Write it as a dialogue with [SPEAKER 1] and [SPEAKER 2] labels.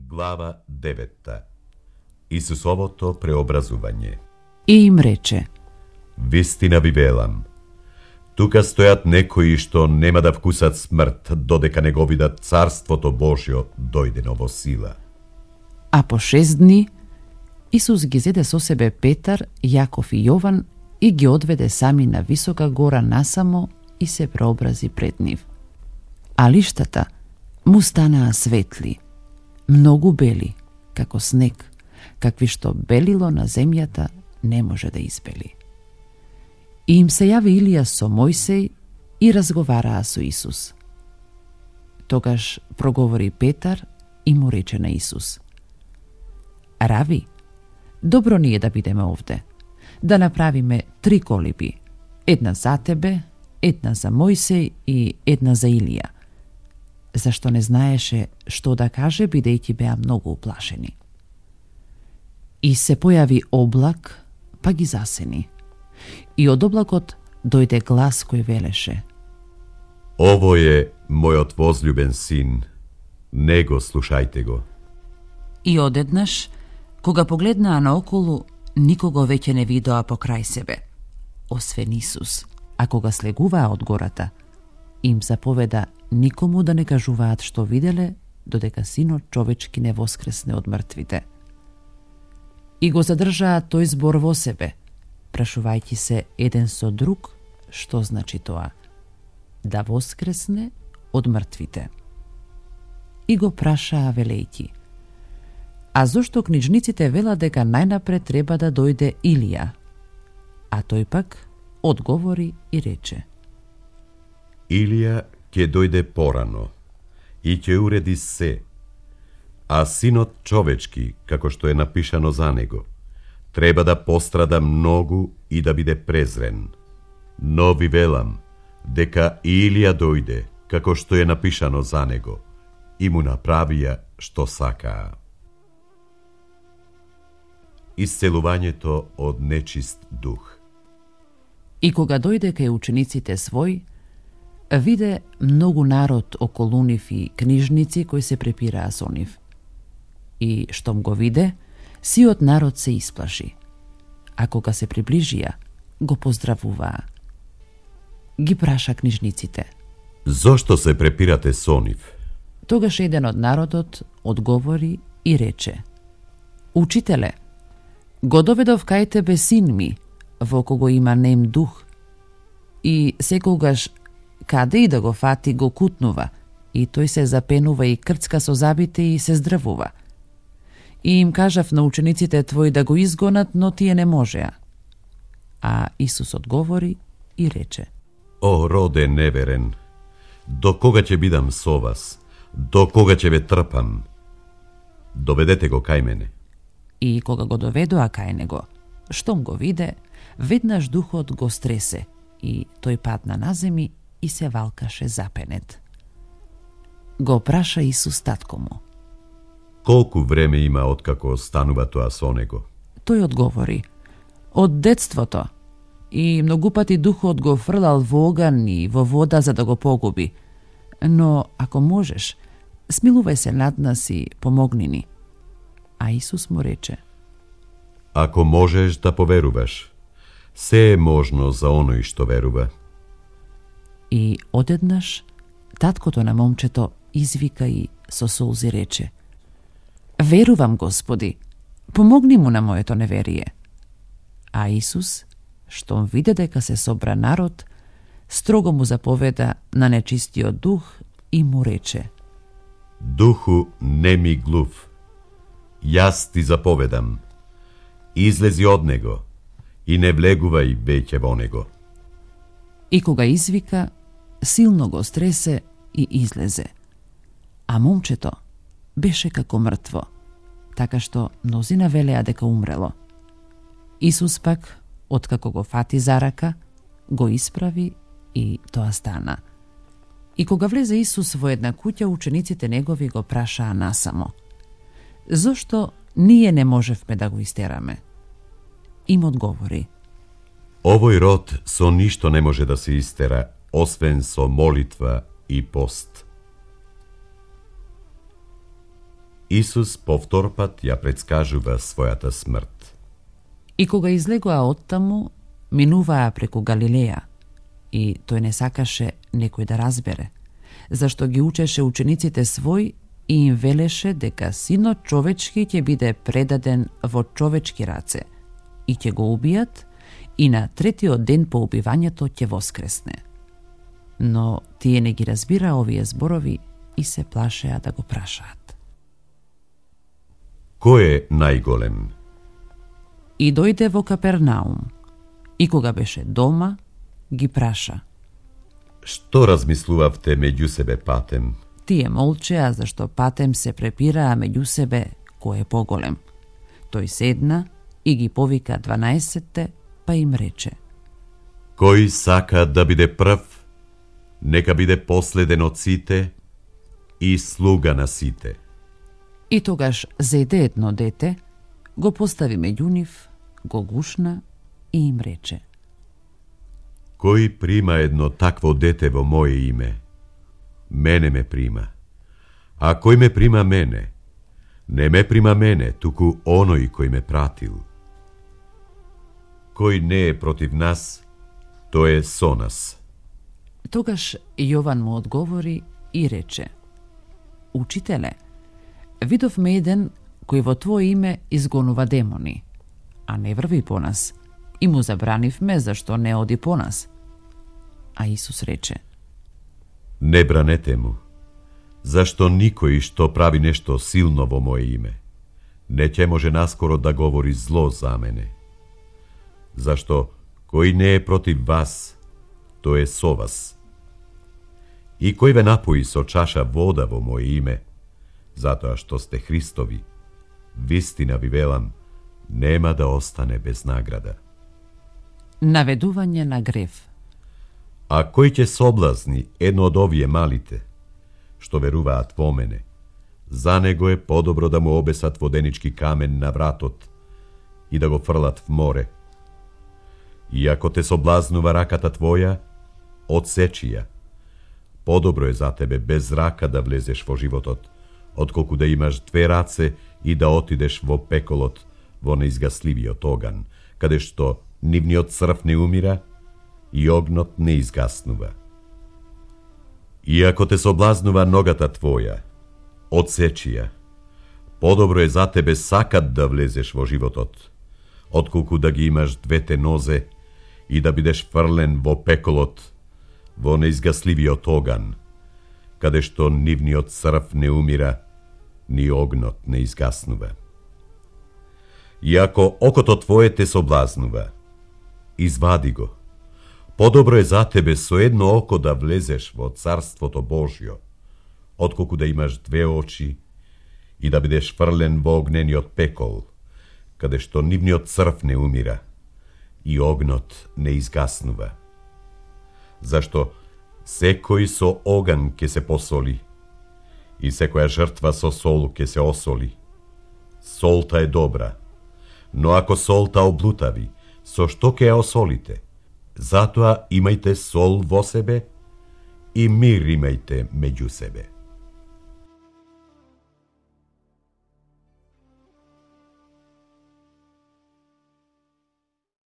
[SPEAKER 1] Глава 9. Исусовото преобразување.
[SPEAKER 2] И им рече:
[SPEAKER 1] Вистина ви велам, тука стојат некои што нема да вкусат смрт, додека не го видат Царството Божјо дојдено во сила.
[SPEAKER 2] А по 6 дни Исус ги зеде со себе Петар, Јаков и Јован и ги одведе сами на висока гора насамо и се преобрази пред нив. А лиштата му станаа светли, многу бели, како снег, какви што белило на земјата не може да избели. И им се јави Илија со Мојсей и разговараа со Исус. Тогаш проговори Петар и му рече на Исус: Рави, добро ни е да бидеме овде, да направиме 3 колиби, една за тебе, една за Мојсей и една за Илија. Зашто не знаеше што да каже, бидејќи беа многу уплашени. И се појави облак, па ги засени. И од облакот дојде глас кој велеше:
[SPEAKER 1] Ово е мојот возљубен син, него слушајте го.
[SPEAKER 2] И одеднаш, кога погледнаа наоколу, никого веќе не видоа покрај себе, освен Исус, а кога слегуваа од гората, им заповеда никому да не кажуваат што виделе, додека Синот човечки не воскресне од мртвите. И го задржаа тој збор во себе, прашувајќи се еден со друг што значи тоа, да воскресне од мртвите. И го прашаа велејќи: А зошто книжниците велат дека најнапред треба да дојде Илија? А тој пак одговори и рече:
[SPEAKER 1] Илија ќе дојде порано и ќе уреди се, а Синот човечки, како што е напишано за него, треба да пострада многу и да биде презрен. Но ви велам дека Илија дојде, како што е напишано за него, и му направија што сакаа. Исцелувањето од нечист дух.
[SPEAKER 2] И кога дојде кај учениците свој, виде многу народ околу нив и книжници кои се препираа со нив. И штом го виде, сиот народ се исплаши. А кога се приближија, го поздравуваа. Ги праша книжниците:
[SPEAKER 1] Зошто се препирате со нив?
[SPEAKER 2] Тогаш еден од народот одговори и рече: Учителе, го доведов кај тебе син ми, во кого има нем дух, и секогаш каде и да го фати го кутнува, и тој се запенува и крцка со забите и се здравува. И им кажав на учениците твои да го изгонат, но тие не можеа. А Исус одговори и рече:
[SPEAKER 1] О, роде неверен, до кога ќе бидам со вас? До кога ќе ве трпам? Доведете го кај мене.
[SPEAKER 2] И кога го доведоа кај него, штом го виде, веднаш духот го стресе, и тој падна на земи и се валкаше запенет. Го праша Исус татко му:
[SPEAKER 1] Колку време има откако станува тоа со него?
[SPEAKER 2] Тој одговори: Од детството, и многу пати духот го фрлал во оган и во вода за да го погуби. Но ако можеш, смилувај се над нас и помогни ни. А Исус му рече:
[SPEAKER 1] Ако можеш да поверуваш, се е можно за оној што верува.
[SPEAKER 2] И одеднаш таткото на момчето извика и со солзи рече: Верувам, Господи, помогни му на моето неверие. А Исус, штом виде дека се собра народ, строго му заповеда на нечистиот дух и му рече:
[SPEAKER 1] Духу неми глув, јас ти заповедам, излези од него и не влегувај веќе во него.
[SPEAKER 2] И кога извика, силно го стресе и излезе. А момчето беше како мртво, така што мнозина велеа дека умрело. Исус пак, откако го фати за рака, го исправи и тоа стана. И кога влезе Исус во една куќа, учениците негови го прашаа насамо: Зошто ние не можевме да го истераме? Им одговори:
[SPEAKER 1] Овој род со ништо не може да се истера, освен со молитва и пост. Исус повторпат ја предскажува својата смрт.
[SPEAKER 2] И кога излегоа оттаму, минуваа преку Галилеја, и тој не сакаше некој да разбере, зашто ги учеше учениците свој и им велеше дека Синот човечки ќе биде предаден во човечки раце и ќе го убијат, и на третиот ден по убивањето ќе воскресне. Но тие не ги разбира овие зборови и се плашеа да го прашаат.
[SPEAKER 1] Кој е најголем?
[SPEAKER 2] И дојде во Капернаум, и кога беше дома, ги праша.
[SPEAKER 1] Што размислувавте меѓу себе патем?
[SPEAKER 2] Тие молчеа, зашто патем се препираа меѓу себе кој е поголем. Тој седна и ги повика 12-те, па им рече:
[SPEAKER 1] Кој сака да биде прв, нека биде последен од сите и слуга на сите.
[SPEAKER 2] И тогаш зеде едно дете, го постави меѓу нив, го гушна и им рече:
[SPEAKER 1] Кој прима едно такво дете во моje име, мене ме прима. А кој ме прима мене, не ме прима мене, туку оној кој ме пратил. Кој не е против нас, тој е со нас.
[SPEAKER 2] Тогаш Јован му одговори и рече: Учителе, видовме еден кој во твое име изгонува демони, а не врви по нас, и му забранивме зашто не оди по нас. А Исус рече:
[SPEAKER 1] Не бранете му, зашто никој што прави нешто силно во моje име, не ќе може наскоро да говори зло за мене. Зашто кој не е против вас, тој е со вас. И кој ве напои со чаша вода во моje име, затоа што сте Христови, вистина ви велам, нема да остане без награда.
[SPEAKER 2] Наведување на грев.
[SPEAKER 1] А кој ќе соблазни едно од овие малите, што веруваат во мене, за него е подобро да му обесат воденички камен на вратот и да го фрлат в море. И ако те соблазнува раката твоја, одсечи ја. Подобро е за тебе без рака да влезеш во животот, отколку да имаш две раце и да отидеш во пеколот, во неизгасливиот оган, каде што нивниот црв не умира и огнот не изгаснува. И ако те соблазнува ногата твоја, одсечи ја. Подобро е за тебе сакат да влезеш во животот, отколку да ги имаш двете нозе и да бидеш фрлен во пеколот, во неизгасливиот оган, каде што нивниот црв не умира, ни огнот не изгаснува. И ако окото твое те соблазнува, извади го. Подобро е за тебе со едно око да влезеш во Царството Божјо, отколку да имаш две очи и да бидеш фрлен во огнениот пекол, каде што нивниот црв не умира и огнот не изгаснува. Зашто секој со оган ќе се посоли и секоја жртва со сол ќе се осоли. Солта е добра, но ако солта облутави, со што ќе ја осолите? Затоа имајте сол во себе и мир имајте меѓу себе.